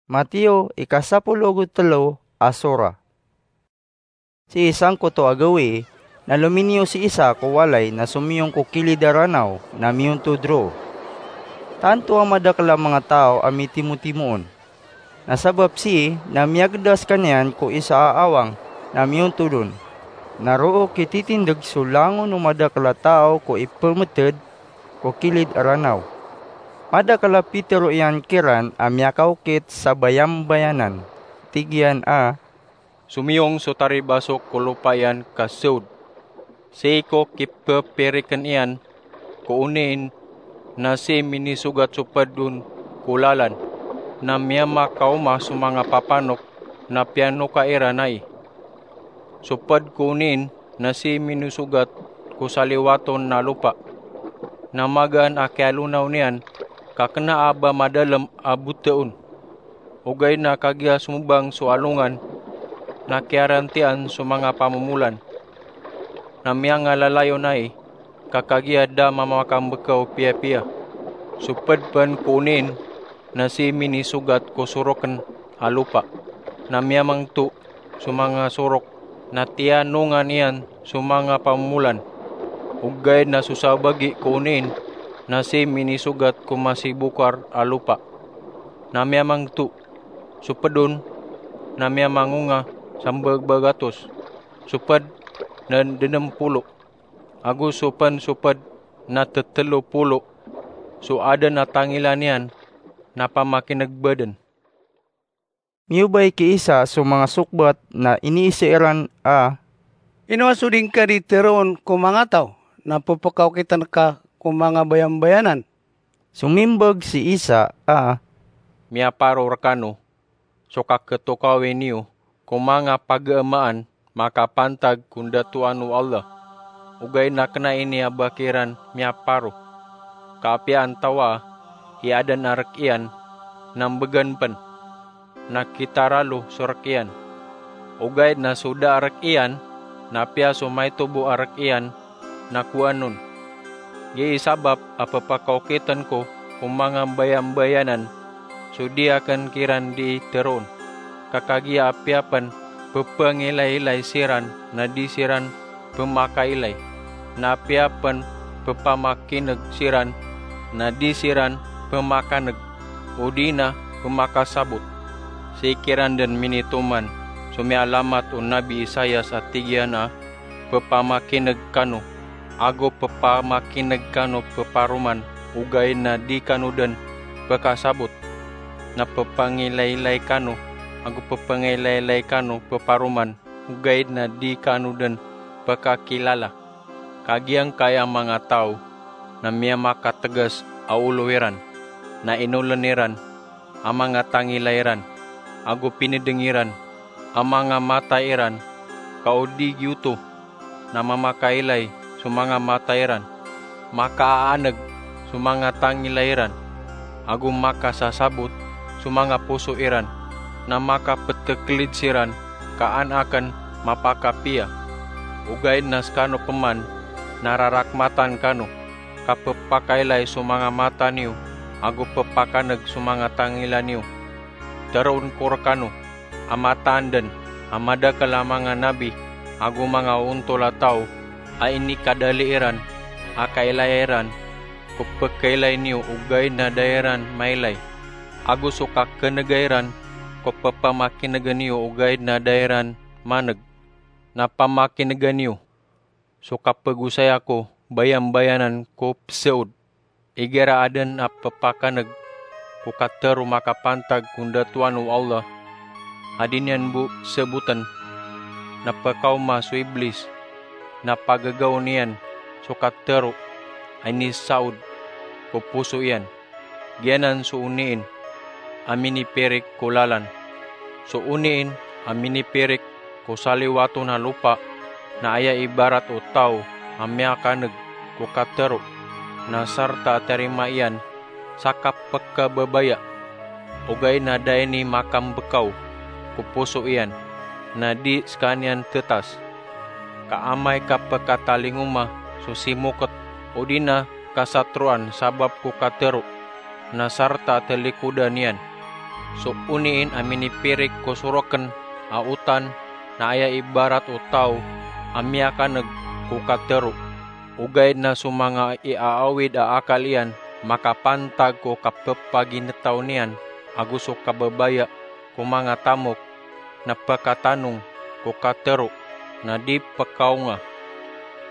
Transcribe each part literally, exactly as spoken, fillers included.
Mateo, ika sapolo ago telo a sora. Sii sangkoto a gawii, na lominiyo si Isa ko walay na somiyong ko kilid a ranaw na miyontod roo. Tanto a madakel a manga taw a mitimotimo on. Na sabap sii na miyageda sekaniyan ko isa a awang na miyontod on. Na roo kititindeg so langon o madakel a taw ko ipemeted ko kilid a ranaw. Madakel a pitero iyan kiran a miyakaokit sa bayambayanan. Tig iyan a, "Somiyong so taribasok ko lopa iyan ka seod. Sii ko kipepiriken iyan ko oniin na sii minisogat so ped on ko lalan, na miyamakaoma so manga papanok na piyanoka iran ai. So ped ko oniin na sii minisogat ko saliwaton a lopa, na magaan a kialonaw niyan ka kena a ba madalem a boteon. Ogaid na kagiya somobang so alongan, na kiyarantian so manga pamomolan, na miyangalalayon ai, ka kagiya da mamakambekaw piyapiya. So ped pen ko oniin na sii minisogat ko soroken a lopa, na miyamangto so manga sorok, na tiyanongan iyan so manga pamomolan. Ogaid na so sabagi ko oniin na sii minisogat ko masibokar a lopa, na miyamangto. So ped on na miyamangonga sambag bagatos, so ped na denem polo, ago so pen so ped na tetelo polo. So aden a tangila niyan na pamakineg baden." Miyobay ki Isa so manga sokbat na iniisa iran a, "Ino a so di ngka di teroon ko manga taw na pepekaokiten ka ko manga bayambayanan?" Somimbag si Isa a, "Miyaparo rekano so kaketokawi niyo ko manga pagamaan makapantag ko ndatoan o Allah. Ogaid na kena ini a ba kiran miyaparo, ka apiya antawaa i aden a rek iyan na mbegan pen, na kitaralo so rek iyan. Ogaid na so da a rek iyan, na apiya so maito bo a rek iyan, na kowaan on. Gii sabap a pepakaokiten ko ko manga bayambayanan so di aken kiran di teroon. Ka kagiya apiya pen pepangilaylay siran na di siran pemakailay, na apiya pen pepamakineg siran na di siran pemakaneg, odi na pemakasabot. Sii kiran den minitoman so miyalamat o Nabi Isaias a tig iyan a, 'Pepamakineg kano, ago pepamakineg kano peparoman, ogaid na di kano den pekasabot. Na pepangilaylay kano, ago pepangilaylay kano peparoman, ogaid na di kano den pekakilala.' Ka giyangkai a manga taw na miyamakatgas a olo iran, na inolen iran a manga tangila iran, ago pinedeng iran a manga mata iran, ka o di giyoto na mamakailay so manga mata iran, makaaaneg so manga tangila iran, ago makasasabot so manga poso iran, na makapetekelid siran ka an aken mapakapiya. Ogaid na sekano peman na rarakmatan kano, ka pepakailay so manga mata niyo, ago pepakaneg so manga tangila niyo. Teroon ko rekano a mataan den a madakel a manga nabi ago manga ontol a taw a inikadali iran a kailaya iran ko pekailay niyo ogaid na da iran mailay, ago so kakenega iran ko pepamakinega niyo ogaid na da iran maneg. Na pamakinega niyo so kapegosaya ko bayambayanan ko pesaod. Igira aden a pepakaneg ko katero makapantag ko ndatoan o Allah a di niyan bo saboten, na pekaoma so Iblis, na pagagaon iyan so katero a inisaod ko poso iyan. Giyanan so oniin a minipirik ko lalan. So oniin a minipirik ko saliwaton a lopa na aya ibarat o taw a miyakaneg ko katero, na sarta a tarima iyan sa kapekababaya, ogaid na da ini makambekaw ko poso iyan, na di sekaniyan tetas. Ka amay ka pekatalingoma so simoket odi na kasatroan sabap ko katero, na sarta a talikodan iyan. So oniin a minipirik ko sorokn a otan na aya ibarat o taw a miyakan'g ko katharo. Ogaid na so manga iaawid a akal iyan makapantag ko kapphaginetaw niyan ago so kababaya ko manga tamok na phakatanong ko katharo na di pkaonga.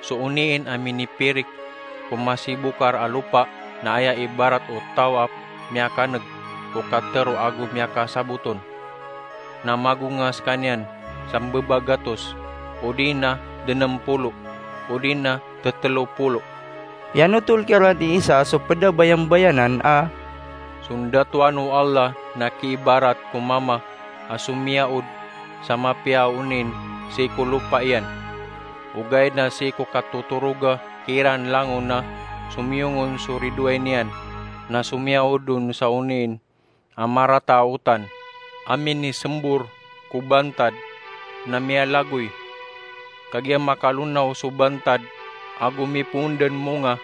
So oniin a minipirik ko masibokar a lopa na aya ibarat o taw a miyakan'g ko katharo ago miyakasaboton na magonga skaniyan sa mbabagatos, odi na denempolo, odi na tetelopolo. Piyanotol kiran i Isa so pd a bayambayanan a, so ndatoan o Allah na kiibarat ko mama a somiyaod sa mapiya a oniin sii ko lopa iyan. Ogaid na sii ko katotoroga kiran langon na somiyongon so ridoay niyan na somiyaod on sa oniin a marata a otan a minisembor ko bantad na miyalagoy. Kagiya makalonaw so bantad ago mipoon dn monga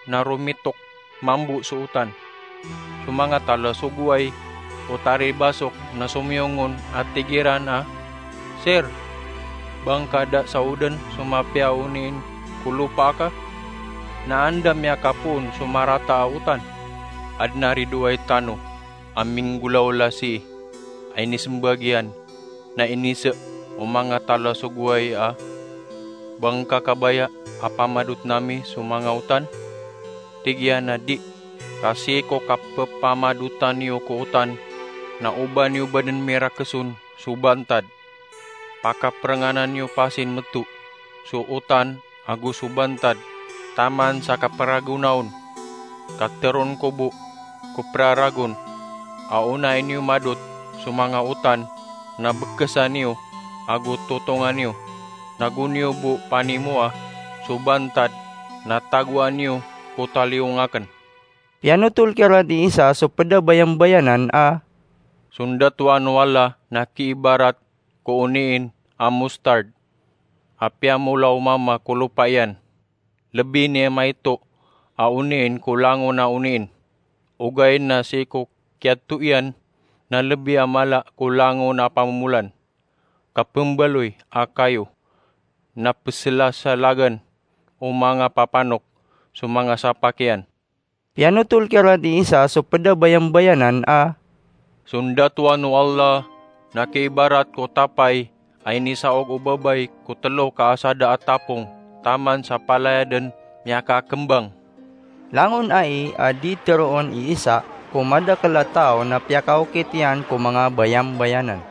na romitok mambo so otan. So manga talasogoway o taribasok na somiyongon a tig iran a, "Sir, ba ngka da saoden so mapiya a oniin ko lopa aka? Na anda miyakapoon so marata a otan?" Adn a ridoay tano a minggolawla sii a inisembag iyan na inise o manga talasogoway a, "Ba ngka kabaya a pamadotn ami so manga otan?" Tig iyan a di, ka sii ko kapphamadotan iyo ko otan na oba niyo badn mirakeson so bantad. Pakaprenganan iyo pasin meto so otan ago so bantad taman sa kapragona on. Kateron ko bo ko praragon a onai niyo madot so manga otan na bekesan iyo ago totongan iyo, na go niyo bo panimoa so bantad na tagoan iyo ko taliyong aken. Piyanotol kiran i Isa so ped a bayambayanan a, so ndatoan o Allah na kiibarat ko oniin a mustard a piyamolaw mama ko lopa iyan. Lebi niyan maito a oniin ko langon a oniin. Ogaid na sii ko kiyadto iyan na lebi a mala ko langon a pamomolan. Kapembaloy a kayo na peselasalagan o manga papanok so manga sapak iyan. Piyanotol kiran i Isa so ped a bayambayanan a, so ndatoan o Allah na kiibarat ko tapay a inisaog o babay ko telo ka asada a tapong taman sa palaya den miyakakembang. Langon ai a di teroon i Isa ko madakel a taw na piyakaokit iyan ko manga bayambayanan.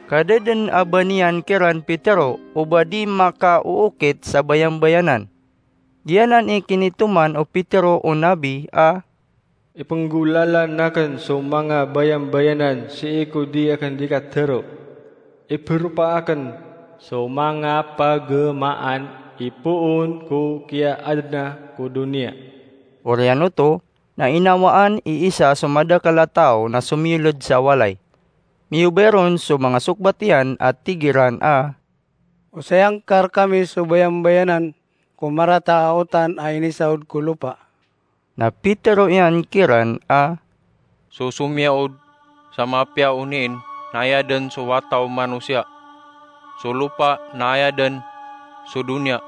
Kadeden a ba niyan kiran pitero o ba di makaookit sa bayambayanan. Giyanan i kinitoman o Pitero o Nabi a, ipenggolalan aken so manga bayambayanan sii ko di aken di katero. Iberopa aken so manga pagemaan ipoon ko kiyaadna ko doniya. Oriyan oto na inawaan i Isa so madakel a taw na somiyoled sa walay. Miyobay ron so manga sokbat iyan a tig iran a, osayang ka rekami so bayambayanan ko marata a otan a inisaod ko lopa. Na pitero iyan kiran a, so somiyaod sa mapiya oniin na aya den so wata o manosiya. So lopa na aya den so doniya.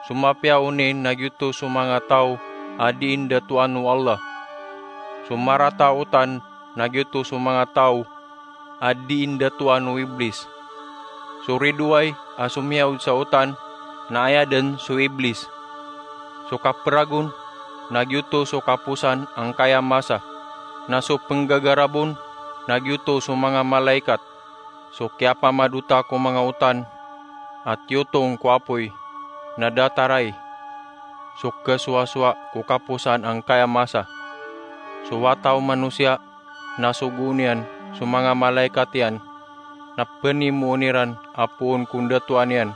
So mapiya oniin na giyoto so manga taw a di ndatoan o Allah. So marata a otan na giyoto so manga taw a di ndatoan o Iblis. So ridoay a somiyaod sa otan na aya den so Iblis. So kaperagon na giyoto so kaposan angkaya masa. Na so penggagarabon na giyoto so manga malaikat. So kiyapamadota ko manga otan a tiyotong ko apoy na datar ai so kesowasowa ko kaposan angkaya masa. So wata o manosiya na sogoon iyan so manga malaikat iyan na penimoon iran a poon ko ndatoan iyan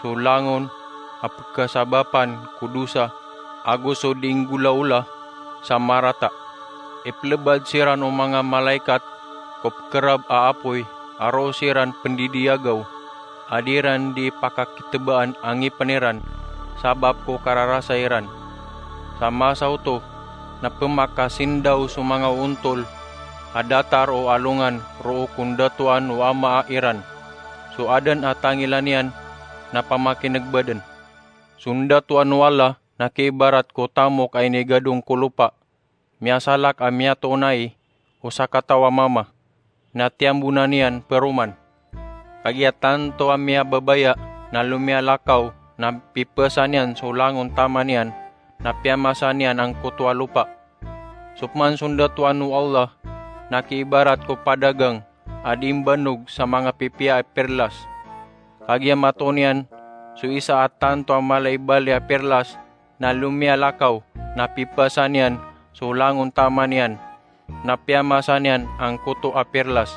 so langon a pekasabapan ko dosa ago so di nggolaola sa marata. Ipelebad siran o manga malaikat ko pekerab a apoy a roo siran pendidiyagaw a di ran di pakakitebaan a ngipen iran sabap ko kararasay iran. Sa masa oto na pemakasindaw so manga ontol a datar o alongan roo ko ndatoan o amaa iran. So aden a tangilan iyan na pamakinegbaden. So ndatoan o Allah na kiibarat ko tamok a inigadong ko lopa. Miyasalak a miyatoon ai o sakataw a mama, na tiyambonan iyan peroman. Kagiya tanto a miyababaya na lomiyalakaw na pipesan iyan so langon taman iyan, na piyamasa niyan angkoto a lopa. So peman so ndatoan o Allah na kiibarat ko padagang a di mbanog sa manga pipiya a perlas. Kagiya matoon iyan so isa a tanto a mala i bali a perlas, na lomiyalakaw, na pipesan iyan so langon taman iyan, na piyamasa niyan angkoto a perlas.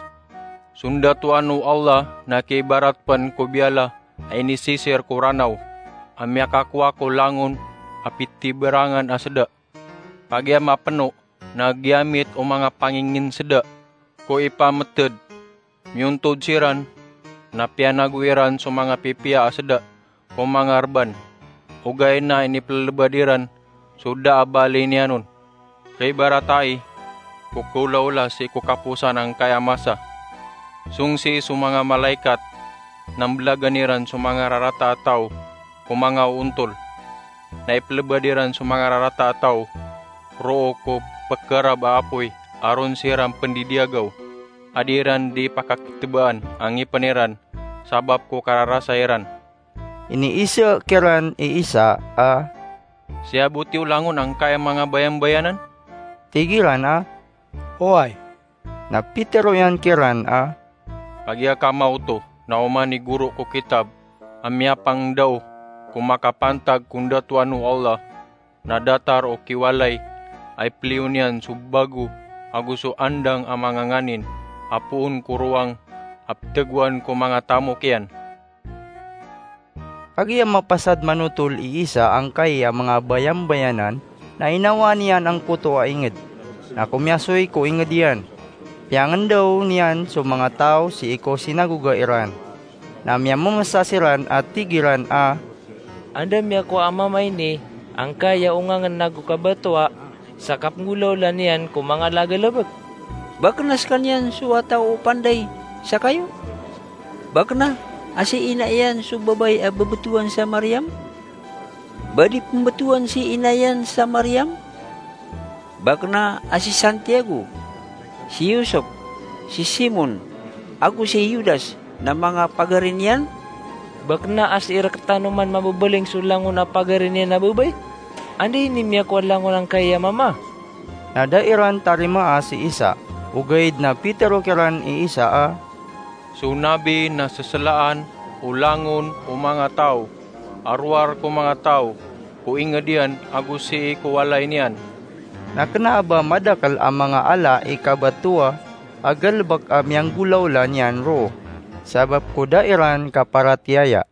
So ndatoan o Allah na kiibarat pen ko biyala a inisisir ko Ranaw a miyakakowa ko langon a pitiberangan a seda. Kagiya mapeno na giyamit o manga pangingin seda ko ipameted. Miyontod siran, na piyanago iran so manga pipiya a seda ko manga reban, ogaid na inipelebad iran so da a bali niyan on. Kaibarat ai ko kaolaola sii ko kaposan angkaya masa. Song sii so manga malaikat na mbelagan iran so manga rarata a taw ko manga oontol, na ipelebad iran so manga rarata a taw roo ko pekerab a apoy a ron siran pendidiyagaw, a di iran di pakaketebaan a ngipen iran sabap ko kararasa iran. Iniiza kiran i Isa a, "Siyaboti o langon angkaya manga bayambayanan?" Tig iran a, "Oway." Na pitero iyan kiran a, "Kagiya kamaoto na oman i goro ko kitab a miyapangdao ko makapantag ko ndatoan o Allah, na datar o kiwalay a ipeliyo niyan so bago ago so andang a manga nganin a poon ko rowang a petegoan ko manga tamok iyan." Kagiya mapasad manotol i Isa angkai a manga bayambayanan, na inawaan iyan angkoto a inged, na komiyasoy ko inged iyan. Piyangendaw niyan so manga taw sii ko sinagoga iran, na miyamemesa siran a tig iran a, "Anda miyakowa a mama ini angkai a ongangen ago kabatowa sa kapenggolawla niyan ko manga lagalebek? Ba kena sekaniyan so wata o panday sa kayo? Ba kena a si ina iyan so babay a bebetowan sa Mariam? Ba di pembetowan si ina iyan sa Mariam? Ba kena a si Santiago, si Yusop, si Simon, ago si Judas na manga pagari niyan? Ba kena a si irektano man mabebeling so langon a pagari niyan a babay? Anda ini miyakowa langon angkai a mama?" Na da iran tarimaa si Isa, ogaid na pitero kiran i Isa a, "So nabi na seselaan o langon o manga taw a rowar ko manga taw ko inged iyan ago sii ko walay niyan." Na kena a ba madakel a manga ala i kabatowa a galebek a miyanggolawla niyan roo, sabap ko da iran kaparatiyaya.